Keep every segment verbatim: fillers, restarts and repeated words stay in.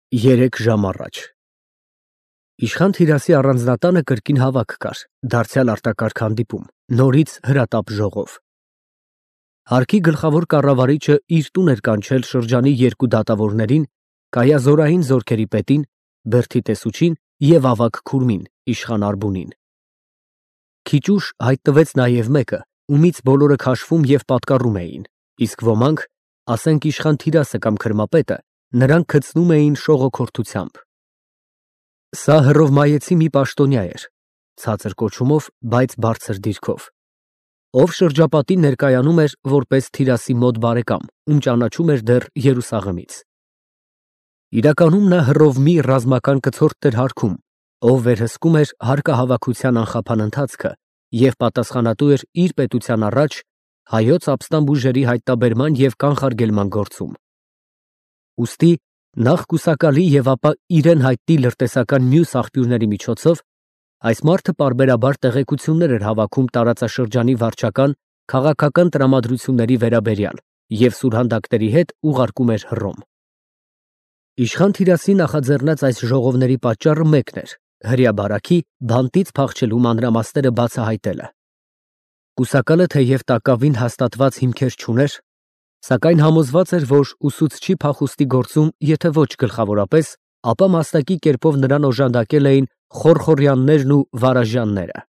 Երեք ժամ առաջ Իշխան Թիրասի առանձնատանը կրկին հավաք կար, դարձյալ արտակարգ հանդիպում, նորից հրատապ ժողով։ Հարկի գլխավոր կառավարիչը իր տուն էր կանչել շրջանի երկու դատավորներին, կայազորային զորքերի պետին, Բերդի տեսուչին և ավագ քուրմին, իշխան Արբունին։ Քիչ ուշ հայտնվեց նաև մեկը, ումից բոլորը քաշվում և պատկառում էին, իսկ ոմանք, ասենք իշխան Թիրասը կամ քրմապետը, նրան գցնում էին շողոքորթությամբ։ Սա հռովմայեցի մի պաշտոնյա էր, ցածր կոչումով, բայց բարձր դիրքով, ով շրջապատին ներկայանում էր որպես Թիրասի մոտ բարեկամ, ում ճանաչում էր դեռ Երուսաղեմից։ Իրականում նա հռովմի ռազմական կցորդն էր հարկում, ով վերահսկում էր հարկահավաքության անխափան ընթացքը և պատասխանատու էր իր պետության առաջ հայոց ապստամբ ուժերի հայտնաբերման և կանխարգելման գործում։ Ուստի նախ կուսակալի և ապա իրեն հայտնի լրտեսական մյուս աղբյուրների միջոցով այս մարդը պարբերաբար տեղեկություններ էր հավաքում տարածաշրջանի վարչական, քաղաքական տրամադրությունների վերաբերյալ և սուրհանդակների հետ ուղարկում էր Հռոմ։ Իշխան Թիրասի նախաձեռնած այս ժողովների պատճառը մեկն էր՝ հրեաբարաքի բանտից փախչելու մանրամասները բացահայտելը։ Կուսակալը թեև տակավին հաստատված հիմքեր չուներ, սակայն համոզված էր, որ ուսուցչի փախուստի գործում եթե ոչ գլխավորապես, ապա մասնակի կերպով նրան օժանդակել էին Խորխորյաններն ու Վարաժյանները։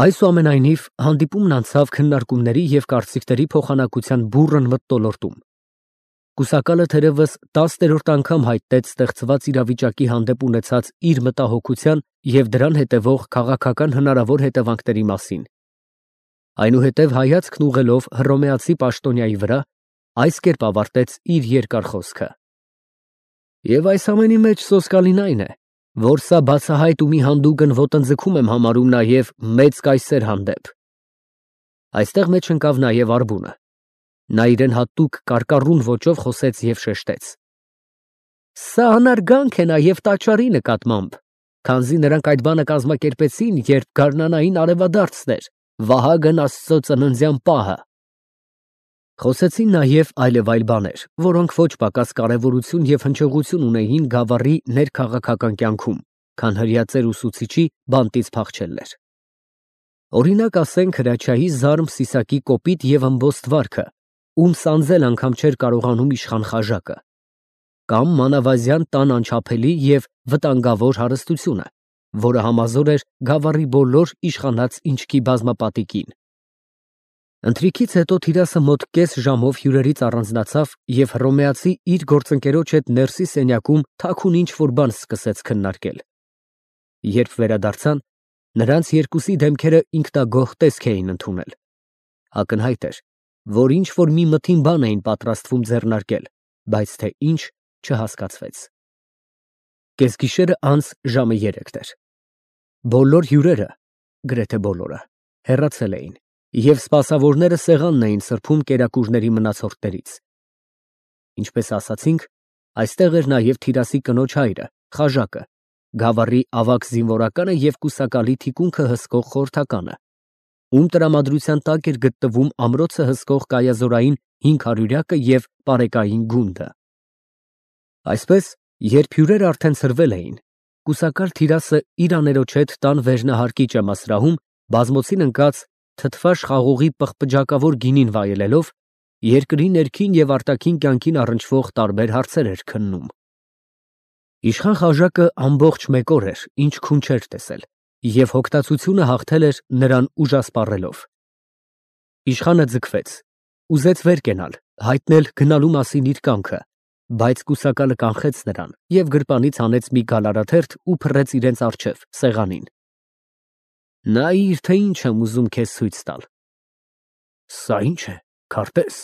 Այսուամենայնիվ, հանդիպումն անցավ քննարկումների և կարծիքների փոխանակության բուռն մթնոլորտում։ Կուսակալը թերևս տասներորդ անգամ հայտնեց ստեղծված իրավիճակի հանդեպ ունեցած իր մտահոգության և դրան հետևող քաղաքական հնարավոր հետևանքների մասին։ Այնուհետև հայացքն ուղղելով հռոմեացի պաշտոնյայի վրա, այս կերպ ավարտեց իր երկար խոսքը. Եվ այս ամենի մեջ սոսկալին այն է, որ սա բացահայտ ու մի հանդուգն ոտնձգում եմ համարում նաև մեծ կայսեր հանդեպ։ Այստեղ մեջ ընկավ նաև Արբունը։ Նա իրեն հատուկ կարկառուն ոճով խոսեց և շեշտեց. Սա անարգանք է նաև տաճարի նկատմամբ, քանզի նրանք այդ բանը կազմակերպեցին, երբ գարնանային արևադարձն էր, Վահագն Աստծո ծննդյան պահը։ Խոսեցին նաև այլև այլ բաներ, որոնք ոչ պակաս կարևորություն և հնչողություն ունեին գավառի ներքաղաքական կյանքում, քան հրեածեր ուսուցիչի բանտից փախչելն էր։ Օրինակ ասենք Հրաչյայի Զարմ Սիսակի կոպիտ և ըմբոստ վարքը, ում սանձել անգամ չէր կարողանում իշխան Խաժակը, կամ Մանավազյան տան անչափելի և վտանգավոր հարստությունը, որը համազոր էր գավառի բոլոր իշխանած ինչքի բազմապատիկին։ Ընթրիքից հետո Թիրասը մոտ կես ժամով հյուրերից առանձնացավ և հռոմեացի իր գործընկերոջ հետ ներսի սենյակում թաքուն ինչ֊որ բան սկսեց քննարկել։ Երբ վերադարձան, նրանց երկուսի դեմքերը ինքնագոհ տեսք էին ընդունել։ Ակնհայտ էր, որ ինչ֊որ մի մթին բան էին պատրաստվում ձեռնարկել, բայց թե ինչ, չհասկացվեց։ Կեսգիշերը անց ժամը երեքն էր։ Բոլոր հյուրերը, գրեթե բոլորը, հեռացել էին, և սպասավորները սեղանն էին սրբում կերակուրների մնացորդներից։ Ինչպես ասացինք, այստեղ էր նաև Թիրասի կնոջ հայրը, Խաժակը, գավառի ավագ զինվորականը և կուսակալի թիկունքը հսկող խորհրդականը, ում տրամադրության տակ էր գտնվում ամրոցը հսկող կայազորային հինգ հարյուրյակը և պարեկային գունդը։ Այսպես, երբ հյուրերն արդեն ցրվել էին, կուսակալ Թիրասը իր աներոջ հետ տան վերնահարկի ճեմասրահում բազմոցին ընկած թթվաշ խաղողի պղպջակավոր գինին վայելելով, երկրի ներքին և արտաքին կյանքին առնչվող տարբեր հարցեր էր քննում։ Իշխան Խաժակը ամբողջ մեկ օր էր, ինչ քուն չէր տեսել, և հոգտացությունը հաղթել էր նրան ուժասպառելով։ Իշխանը ձգվեց, ուզեց վեր կենալ, հայտնել գնալու մասին իր կամքը, բայց կուսակալը կանխեց նրան և գրպանից հանեց մի գալարաթերթ ու փռեց իրենց առջև, սեղանին։ Նայիր, թե ինչ եմ ուզում քեզ ցույց տալ։ Սա ի՞նչ է, քարտե՞ս։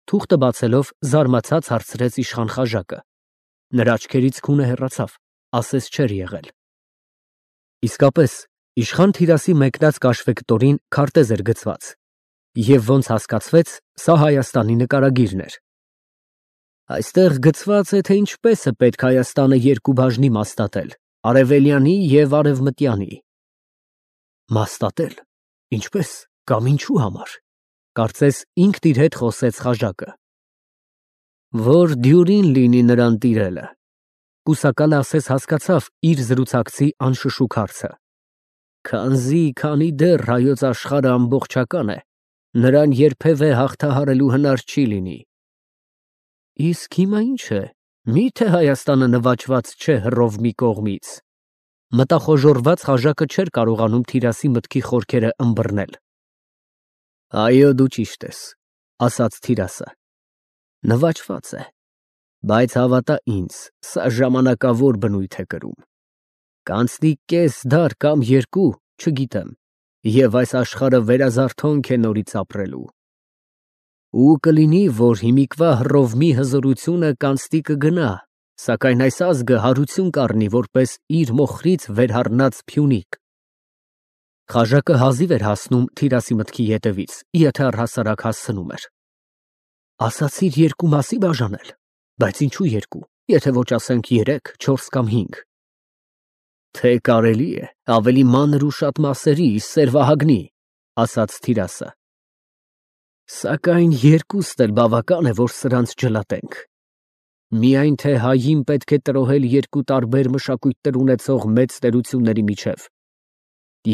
Թուղթը բացելով, զարմացած հարցրեց իշխան Խաժակը։ Նրա աչքերից քունը հեռացավ, ասես չէր եղել։ Իսկապես, իշխան Թիրասի մեկնած կաշվե կտորին քարտեզ էր գցված, և ոնց հասկացվեց, սա Հայաստանի նկարագիրն էր։ Այստեղ գծված է, թե ինչպես է պետք Հայաստանը երկու բաժնի մասնատել, արևելյանի և արևմտյանի։ Մասնատել, ինչպե՞ս, կամ ինչու համար, կարծես ինքն իր հետ խոսեց Խաժակը։ Որ դյուրին լինի նրան տիրելը, Կուսակալը ասես հասկացավ իր զրուցակցի անշշուկ հարցը։ Քանզի քանի դեռ հայոց աշխարհը ամբողջական է, նրան երբևէ հաղթահարելու հնար չի լինի։ Իսկ հիմա ինչ է, միթե Հայաստանը նվաճված չէ հռով մի կողմից։ Մտախոժորված խաժակը չէր կարողանում Թիրասի մտքի խորքերը ըմբռնել։ Այո, դու ճիշտ ես, ասաց Թիրասը։ Նվաճված է, բայց հավատա ինձ, սա ժամանակավոր բնույթ է կրում։ Կանցնի կես դար կամ երկու, չգիտեմ, և այս աշխարհը վերազարթոնք է նորից ապրելու։ Ու կլինի, որ հիմիկվա հռովմի հզորությունը կանցնի կգնա, սակայն այս ազգը հարություն կառնի որպես իր մոխրից վերհառնած Փյունիկ։ Խաժակը հազիվ էր հասնում Թիրասի մտքի ետևից, եթե առհասարակ հասցնում էր։ Ասացիր երկու մասի բաժանել, բայց ինչու երկու, եթե ոչ ասենք երեք, չորս կամ հինգ։ Թե կարելի է ավելի մանր ու շատ մասերի, սերվահագնի, ասաց Թիրասը։ Սակայն երկուստ էլ բավական է, որ սրանց ջլատենք։ Միայն թե հային պետք է տրոհել երկու տարբեր մշակույթներ ունեցող մեծ տերությունների միջև։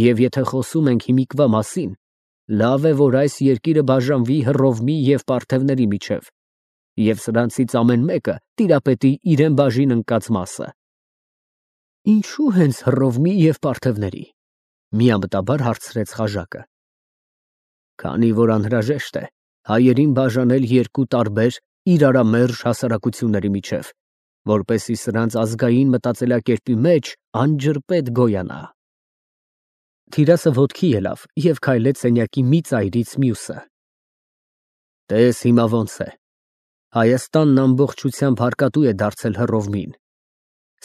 Եվ եթե խոսում ենք հիմիկվա մասին, լավ է, որ այս երկիրը բաժանվի հռովմի և պարթևների միջև, և սրանցից ամեն մեկը տիրապետի իրեն բաժին ընկած մասը։ Ինչու հենց հռովմի և պարթևների, միամտաբար հարցրեց խաժակը։ Քանի որ անհրաժեշտ է հայերին բաժանել երկու տարբեր իրարամերժ հասարակությունների միջև, որպեսզի սրանց ազգային մտածելակերպի մեջ անջրպետ գոյանա։ Թիրասը ոտքի ելավ և քայլեց սենյակի մի ծայրից մյուսը։ Տես հիմա ոնց է։ Հայաստանն ամբողջությամբ հարկատու է դարձել հռովմին,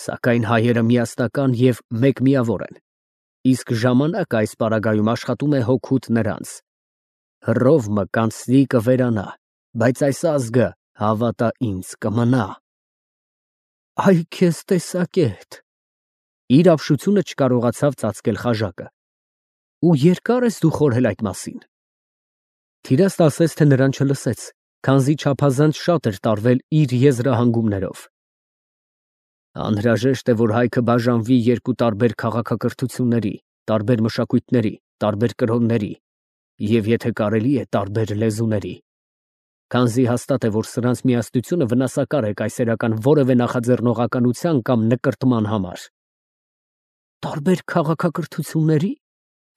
սակայն հայերը միասնական և մեկմիավոր են, իսկ ժամանակը այս պարագայում աշխատում է հօգուտ նրանց։ Հռովմը կանցնի կվերանա, բայց այս ազգը, հավատա ինձ, կմնա։ Այ քեզ տեսակետ։ Իր ապշությունը չկարողացավ ծածկել խաժակը։ Ու երկա՞ր ես դու խորհել այդ մասին։ Թիրասն ասես թե նրան չլսեց, քանզի չափազանց շատ էր տարվել իր եզրահանգումներով։ Անհրաժեշտ է, որ հայքը բաժանվի երկու տարբեր քաղաքակրթությունների, տարբեր մշակույթների, տարբեր կրոնների և, եթե կարելի է, տարբեր լեզուների, քանզի հաստատ է, որ սրանց միասնությունը վնասակար է կայսերական որևէ նախաձեռնողականության կամ նկրտման համար։ Տարբեր քաղաքակրթությունների՞,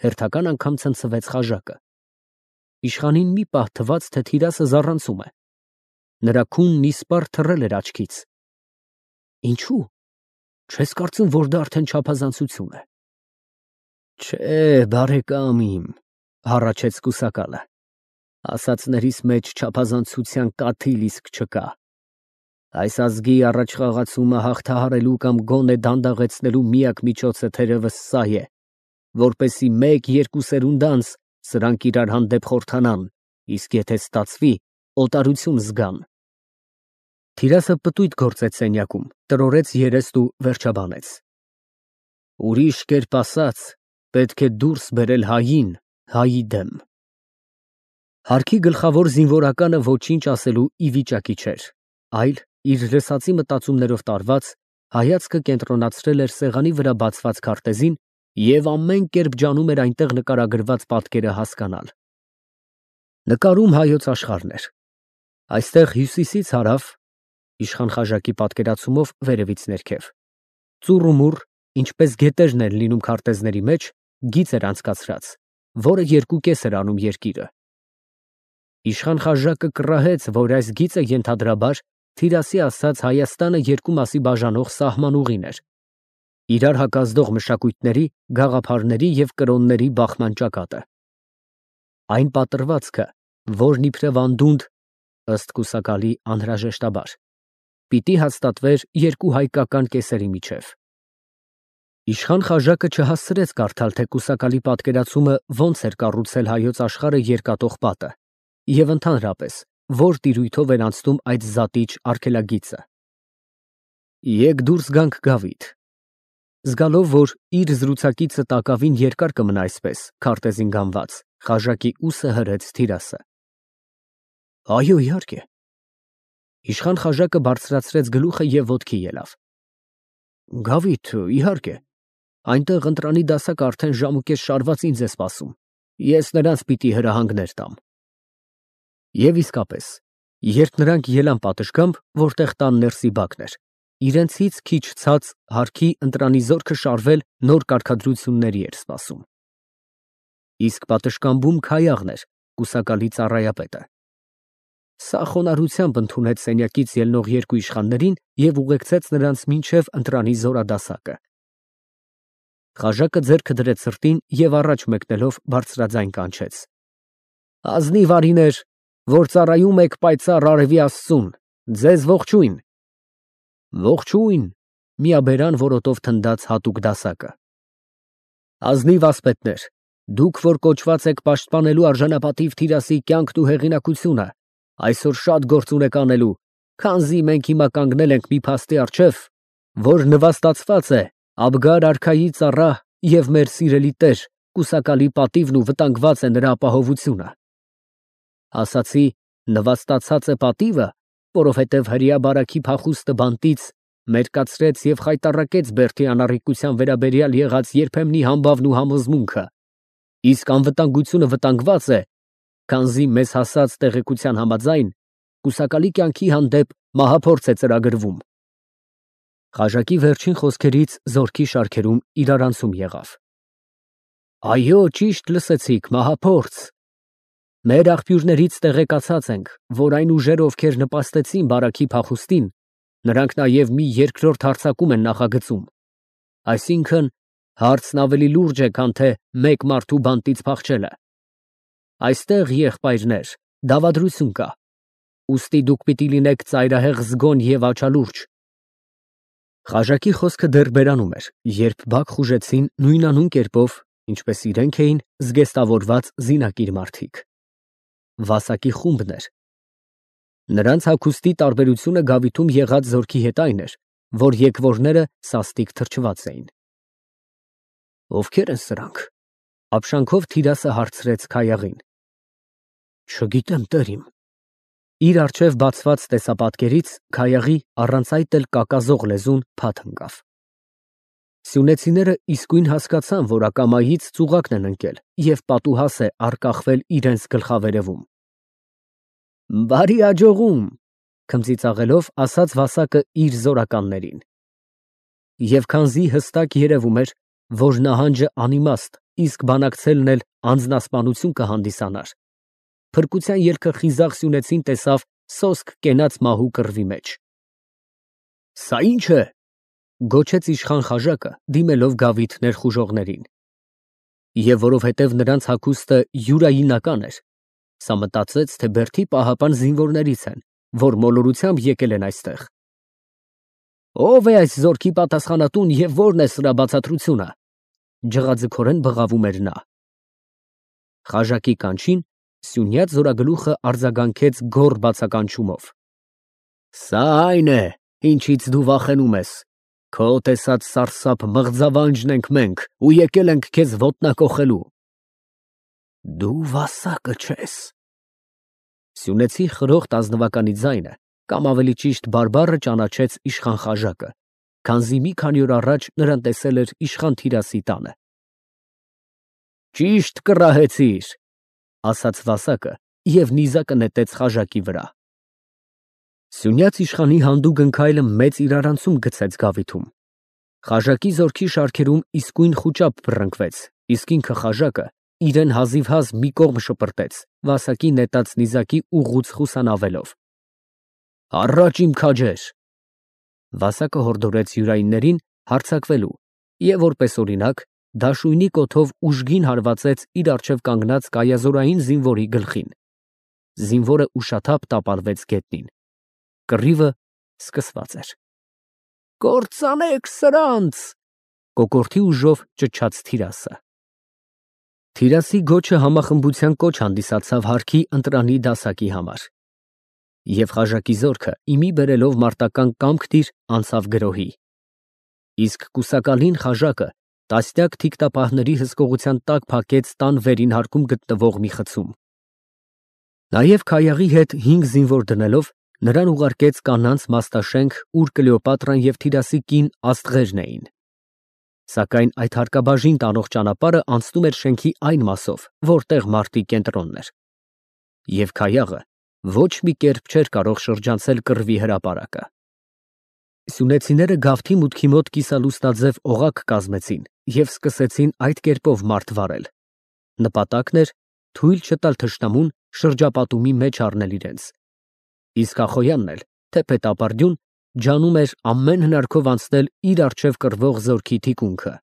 հերթական անգամ ցնցվեց խաժակը։ Իշխանին մի պահ թվաց, թե Թիրասը զառանցում է։ Նրա քունն իսպառ թռել էր աչքից։ Ինչու՞։ Չես կարծում, որ դա արդեն չափազանցություն է։ Չէ, բարեկամ իմ, հառաչեց կուսակալը, ասածներիս մեջ չափազանցության կաթիլ իսկ չկա։ Այս ազգի առաջխաղացումը հաղթահարելու կամ գոնե դանդաղեցնելու միակ միջոցը թերևս սա է, որպեսզի մեկ֊երկու սերունդ անց սրանք իրար հանդեպ խորհրդանան, իսկ եթե ստացվի, օտարություն զգան։ Թիրասը պտույտ գործեց սենյակում, տրորեց երեստ ու վերջաբանեց։ Ուրիշ կերպ ասած, պետք է դուրս բերել հային հայի դեմ։ Հարկի գլխավոր զինվորականը ոչինչ ասելու ի վիճակի չէր, այլ, իր լսածի մտածումներով տարված, հայացքը կենտրոնացրել էր սեղանի վրա բացված քարտեզին և ամեն կերպ ջանում էր այնտեղ նկարագրված պատկերը հասկանալ։ Նկարում հայոց աշխարհն էր։ Այստեղ հյուսիսից հարավ, իշխան խաժակի պատկերացումով վերևից ներքև, ծուռ ու մուռ, ինչպես գետերն են լինում քարտեզների մեջ, գիծ էր անցկացրած, որը երկու կես էր անում երկիրը։ Իշխան խաժակը կռահեց, որ այս գիծը ենթադրաբար Թիրասի ասած Հայաստանը երկու մասի բաժանող սահմանուղին էր, իրար հակազդող մշակույթների, գաղափարների և կրոնների բախման ճակատը։ Այն պատրվածքը, որն իբրև անդունդ, ըստ կուսակալի անհրաժեշտաբար, պիտի հաստատվեր երկու հայկական կեսերի միջև։ Իշխան խաժակը չհասցրեց կարդալ, թե կուսակալի պատկերացումը ոնց էր կառուցել հայոց աշխարհը երկատող պատը և ընդհանրապես, որ տիրույթով էր անցնում այդ զատիչ արգելագիծը։ Եկ դուրս գանք գավիթ։ Զգալով, որ իր զրուցակիցը տակավին երկար կմնա այսպես, քարտեզին գանված, խաժակի ուսը հրեց Թիրասը։ Այո, իհարկե։ Իշխան խաժակը բարձրացրեց գլուխը և ոտքի ելավ։ Գավիթ, իհարկե։ Այնտեղ ընտրանի դասակ արդեն ժամուկես շարված ինձ է սպասում։ Ես նրանց պիտի հրահանգներ տամ։ Եվ իսկապես, երբ նրանք ելան պատշգամբ, որտեղ տան ներսի բակն էր, իրենցից քիչ ցած հարկի ընտրանի զորքը շարվել նոր կարգադրությունների էր սպասում։ Իսկ պատշգամբում Քայաղն էր, կուսակալի ծառայապետը։ Սա խոնարհությամբ ընդունեց սենյակից ելնող երկու իշխաններին և ուղեկցեց նրանց մինչև ընտրանի զորադասակը։ Խաժակը ձեռքը դրեց սրտին և առաջ մեկնելով բարձրաձայն կանչեց. Ազնիվ արիներ, որ ծառայում եք պայծառ արևի աստծուն, ձեզ ողջույն։ Ողջույն, միաբերան որոտով թնդաց հատուկ դասակը։ Ազնիվ ասպետներ, դուք, որ կոչված եք պաշտպանելու արժանապատիվ Թիրասի կյանքն ու հեղինակությունը, այսօր շատ գործ ունեք անելու, քանզի մենք հիմա կանգնել ենք մի փաստի առջև, որ նվաստացված է Աբգար արքայի ծառա և մեր սիրելի տեր կուսակալի պատիվն ու վտանգված է նրա ապահովությունը։ Ասացի նվաստացած է պատիվը, որովհետև հրեա բարաքի փախուստը բանտից մերկացրեց և խայտառակեց Բերդի անառիկության վերաբերյալ եղած երբեմնի համբավն ու համոզմունքը, իսկ անվտանգությունը վտանգված է, քանզի մեզ հասած տեղեկության համաձայն կուսակալի կյանքի հանդեպ մահափորձ է ծրագրվում։ Խաժակի վերջին խոսքերից զորքի շարքերում իրարանցում եղավ։ Այո, ճիշտ լսեցիք, մահափորձ։ Մեր աղբյուրներից տեղեկացած ենք, որ այն ուժերը, ովքեր նպաստեցին բարաքի փախուստին, նրանք նաև մի երկրորդ հարձակում են նախագծում։ Այսինքն, հարցն ավելի լուրջ է, քան թե մեկ մարդու բանտից փախչելը։ Այստեղ, եղբայրներ, դավադրություն կա, ուստի դուք պիտի լինեք ծայրահեղ զգոն և աչալուրջ։ Խաժակի խոսքը դեռ բերանում էր, երբ բակ խուժեցին նույնանուն կերպով, ինչպես իրենք էին, զգեստավորված զինակիր մարդիկ։ Վասակի խումբն էր։ Նրանց հագուստի տարբերությունը գավիթում եղած զորքի հետ այն էր, որ եկվորները սաստիկ թրջված էին։ Ովքեր են սրանք, ապշանքով Թիրասը հարցրեց Քայաղին։ Չգիտեմ, տեր իմ։ Իր առջև բացված տեսապատկերից Քայաղի առանց այդ էլ կակազող լեզուն փաթ ընկավ։ Սյունեցիները իսկույն հասկացան, որ ակամայից ծուղակն են ընկել և պատուհաս է առկախվել իրենց գլխավերևում։ Բարի աջողում, քմծիծաղելով ասաց Վասակը իր զորականներին։ Եվ քանզի հստակ երևում էր, որ նահանջը անիմաստ, իսկ բանակցելն էլ անձնասպանություն կհանդիսանար, փրկության ելքը խիզախ սյունեցին տեսավ սոսկ կենաց մահու կռվի մեջ։ Սա ի՞նչ է, գոչեց իշխան Խաժակը, դիմելով գավիթ ներխուժողներին։ Եվ որովհետև նրանց հագուստը յուրայինական էր, սա մտածեց, թե Բերդի պահապան զինվորներից են, որ մոլորությամբ եկել են այստեղ։ Ո՞վ է այս զորքի պատասխանատուն և ո՞րն է սրա բացատրությունը, ջղաձգորեն բղավում էր նա։ Խաժակի կանչին Սյունյաց զորագլուխը արձագանքեց գոռ բացականչումով. Սա այն է, ինչից դու վախենում ես, քո տեսած սարսափ մղձավանջն ենք մենք ու եկել ենք քեզ ոտնակոխելու։ Դու Վասակը չես։ Սյունեցի խրոխտ ազնվականի ձայնը, կամ ավելի ճիշտ բարբառը ճանաչեց իշխան Խաժակը, քանզի մի քանի օր առաջ նրան տեսել էր իշխան Թիրասի տանը։ Ճիշտ կռահեցիր, ասաց Վասակը և նիզակը նետեց Խաժակի վրա։ Սյունյաց իշխանի հանդուգն քայլը մեծ իրարանցում գցեց գավիթում։ Խաժակի զորքի շարքերում իսկույն խուճապ բռնկվեց, իսկ ինքը Խաժակը իրեն հազիվհազ մի կողմ շպրտեց, Վասակի նետած նիզակի ուղղուց խուսանավելով։ Առաջ իմ քաջեր։ Վասակը հորդորեց յուրայիններին հարձակվելու և որպես օրինակ դաշույնի կոթով ուժգին հարվածեց իր առջև կանգնած կայազորային զինվորի գլխին։ Զինվորը ուշաթափ տապալվեց գետնին։ Կռիվը սկսված էր։ Կործանեք սրանց, կոկորդի ուժով ճչաց Թիրասը։ Թիրասի գոչը համախմբության կոչ հանդիսացավ հարկի ընտրանի դասակի համար։ Եվ Խաժակի զորքը իմի բերելով մարտական կամք-տիր անցավ գրոհի։ Իսկ կուսակալին Խաժակը տասնյակ թիկտապահների հսկողության տակ փակեց տան վերին հարկում գտնվող մի խցում։ Նաև Քայաղի հետ հինգ զինվոր դնելով Նրան ուղարկեց կանանց մաստաշենք, ուր Կլեոպատրան և Թիրասի կին աստղերն էին։ Սակայն այդ հարկաբաժին տանող ճանապարհը անցնում էր շենքի այն մասով, որտեղ մարտի կենտրոնն էր, և Քայաղը ոչ մի կերպ չէր կարող շրջանցել կռվի հրապարակը։ Սյունեցիները գավթի մուտքի մոտ կիսալուսնաձև օղակ կազմեցին և սկսեցին այդ կերպով մարդ վարել։ Նպատակն էր թույլ չտալ թշնամուն շրջապատումի մեջ առնել իրենց։ Իսկ Ախոյանն էլ, թեպետ ապարդյուն, ջանում էր ամեն հնարքով անցնել իր առջև կռվող զորքի թիկունքը։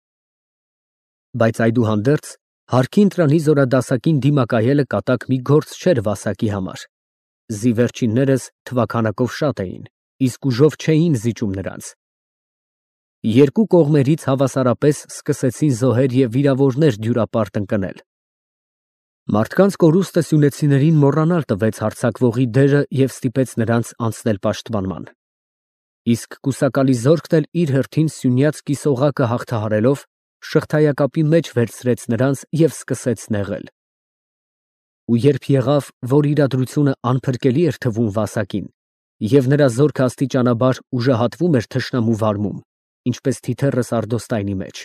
Բայց այդուհանդերձ հարկի ընտրանի զորադասակին դիմակայելը կատակ մի գործ չէր Վասակի համար։ Զի վերջիններս թվաքանակով շատ էին, իսկ ուժով չէին զիջում նրանց։ Երկու կողմերից հավասարապես սկսեցին զոհեր և վիրավորներ դյուրապարտ ընկնել։ Մարդկանց կորուստը սյունեցիներին մոռանալ տվեց հարձակվողի դերը և ստիպեց նրանց անցնել պաշտպանման։ Իսկ կուսակալի զորքն էլ իր հերթին սյունյաց կիսօղակը հաղթահարելով շղթայակապի մեջ վերցրեց նրանց և սկսեց նեղել։ Ու երբ եղավ, որ իրադրությունը անփրկելի էր թվում Վասակին, և նրա զորքը աստիճանաբար ուժահատվում էր թշնամու վարմում, ինչպես թիթեռը սարդոստայնի մեջ,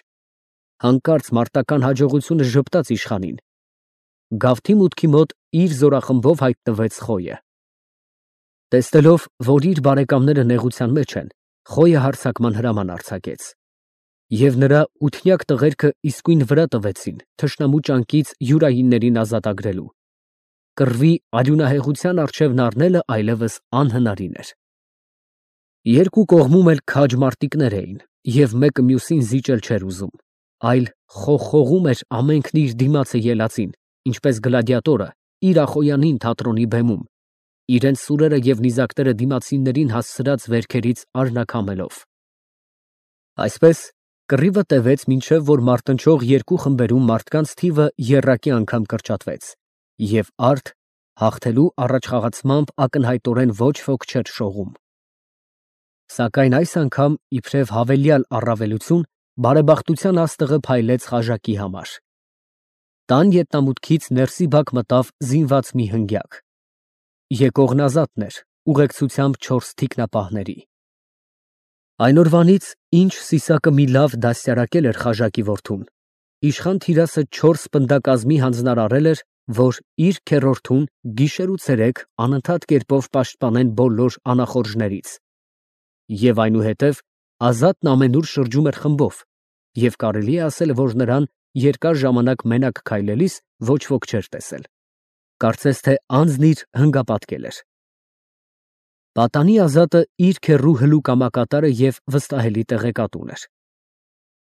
հանկարծ մարտական հաջողությունը ժպտաց իշխանին։ Գավթի մուտքի մոտ իր զորախմբով հայտնվեց Խոյը։ Տեսնելով, որ իր բարեկամները նեղության մեջ են, Խոյը հարձակման հրաման արձակեց։ Եվ նրա ութնյակ տղերքը իսկույն վրա տվեցին թշնամու ճանկից յուրայիններին ազատագրելու։ Կռվի արյունահեղության առջևն առնելը այլևս անհնարին էր։ Երկու կողմում էլ քաջ մարտիկներ էին, և մեկը մյուսին զիջել չէր ուզում, այլ խողխողում էր ամենքն իր դիմացը ելածին, ինչպես գլադիատորը իր Ախոյանին թատրոնի բեմում, իրենց սուրերը և նիզակները դիմացիններին հասցրած վերքերից արնաքամելով։ Այսպես կռիվը տևեց, մինչև որ մարտնչող երկու խմբերում մարդկանց թիվը եռակի անգամ կրճատվեց, և արդ հաղթելու առաջխաղացմամբ ակնհայտորեն ոչ ոք չէր շողում։ Սակայն այս անգամ, իբրև հավելյալ առավելություն, բարեբախտության աստղը փայլեց խաժակի համար։ Տան ետնամուտքից ներսի բակ մտավ զինված մի հնգյակ։ Եկողն Ազատն էր, ուղեկցությամբ չորս թիկնապահների։ Այն օրվանից, ինչ Սիսակը մի լավ դաստիարակել էր խաժակի որդուն, իշխան Թիրասը չորս պնդակազմի հանձնարարել էր, որ իր քեռորդուն գիշեր ու ցերեկ անընդհատ կերպով պաշտպանեն բոլոր անախորժներից։ Եվ այնուհետև Ազատն ամենուր շրջում էր խմբով, և կարելի է ասել, որ նրան երկար ժամանակ մենակ քայլելիս ոչ ոք չէր տեսել, կարծես թե անձն իր հնգապատկել էր։ Պատանի Ազատը իր քեռու հլու կամակատարը և վստահելի տեղեկատուն էր։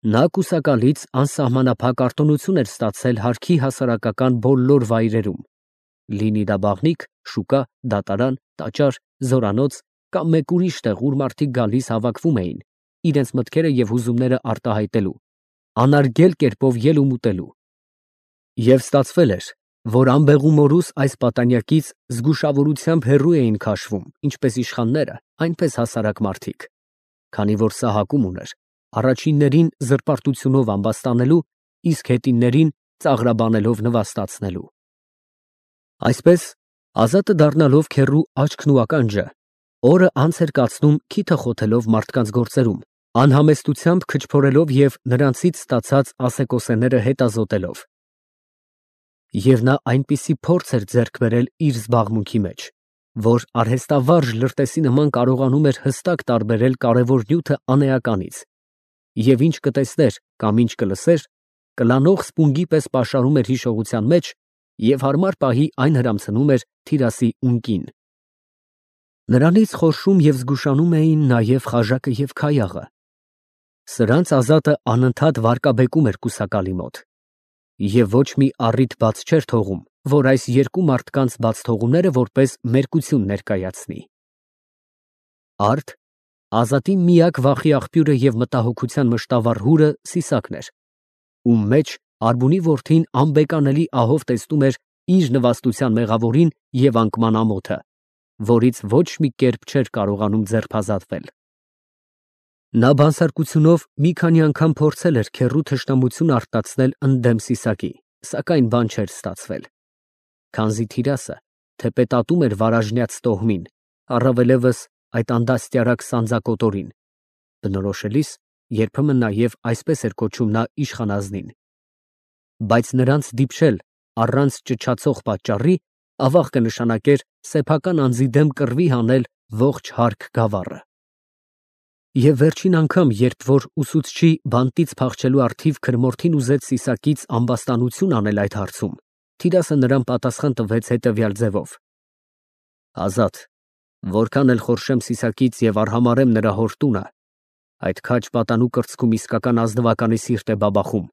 Նա կուսակալից անսահմանափակ արտոնություն էր ստացել հարկի հասարակական բոլոր վայրերում, լինի դա բաղնիք, շուկա, դատարան, տաճար, զորանոց կամ մեկ ուրիշ տեղ, ուր մարդիկ գալիս հավաքվում էին իրենց մտքերը և հուզումները արտահայտելու, անարգել կերպով ելում ուտելու։ Եվ ստացվել էր, որ անբեղումորուս այս պատանյակից զգուշավորությամբ հեռու էին քաշվում ինչպես իշխանները, այնպես հասարակ մարդիկ, քանի որ սահակում ուներ առաջիններին զրպարտությունով ամբաստանելու, իսկ հետիններին ծաղրաբանելով նվաստացնելու։ Այսպես, Ազատը դառնալով քեռու աչքն ու ականջը, օրը անց էր կացնում քիթը խոթելով մարդկանց գործերում, անհամեստությամբ քչփորելով և նրանցից ստացած ասեկոսեները հետազոտելով։ Եվ նա այնպիսի փորձ էր ձեռք բերել իր զբաղմունքի մեջ, որ արհեստավարժ լրտեսի նման կարողանում էր հստակ տարբերել կարևոր նյութը անէականից, և ինչ կտեսներ կամ ինչ կլսեր, կլանող սպունգի պես պաշարում էր հիշողության մեջ և հարմար պահի այն հրամցնում էր Թիրասի ունկին։ Նրանից խորշում և զգուշանում էին նաև Խաժակը և Քայաղը։ Սրանց Ազատը անընդհատ վարկաբեկում էր կուսակալի մոտ, և ոչ մի առիթ բաց չէր թողում, որ այս երկու մարդկանց բացթողումները որպես մերկություն ներկայացնի։ Արդ Ազատի միակ վախի աղբյուրը և մտահոգության մշտավառ հուրը Սիսակն էր, ում մեջ Արբունի որդին անբեկանելի ահով տեսնում էր իր նվաստության մեղավորին և անկման ամոթը, որից ոչ մի կերպ չէր կարողանում ձերբազատվել։ Նա բանսարկությունով մի քանի անգամ փորձել էր քեռու թշնամություն արտացնել ընդդեմ Սիսակի, սակայն բան չէր ստացվել, քանզի Թիրասը թեպետ ատում էր վարաժնյաց տոհմին առավելևս այդ անդաստիարակ սանձակոտորին, բնորոշելիս երբեմն նաև այսպես էր կոչում նա իշխանազնին, բայց նրանց դիպչել առանց ճչացող պատճառի ավաղ կնշանակեր սեփական անձի դեմ կռվի հանել ողջ հարկ գավառը։ Եվ վերջին անգամ, երբ որ ուսուցչի բանտից փախչելու առթիվ քրմորթին ուզեց Սիսակից ամբաստանություն անել այդ հարցում, Թիրասը նրան պատասխան տվեց հետևյալ ձևով. Ազատ, որքան էլ խորշեմ Սիսակից և արհամարհեմ նրա հոր տունը, այդ քաջ պատանու կրծքում իսկական ազնվականի սիրտ է բաբախում,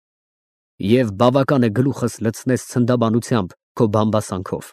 և բավական է գլուխս լցնես ցնդաբանությամբ քո բամբասանքով։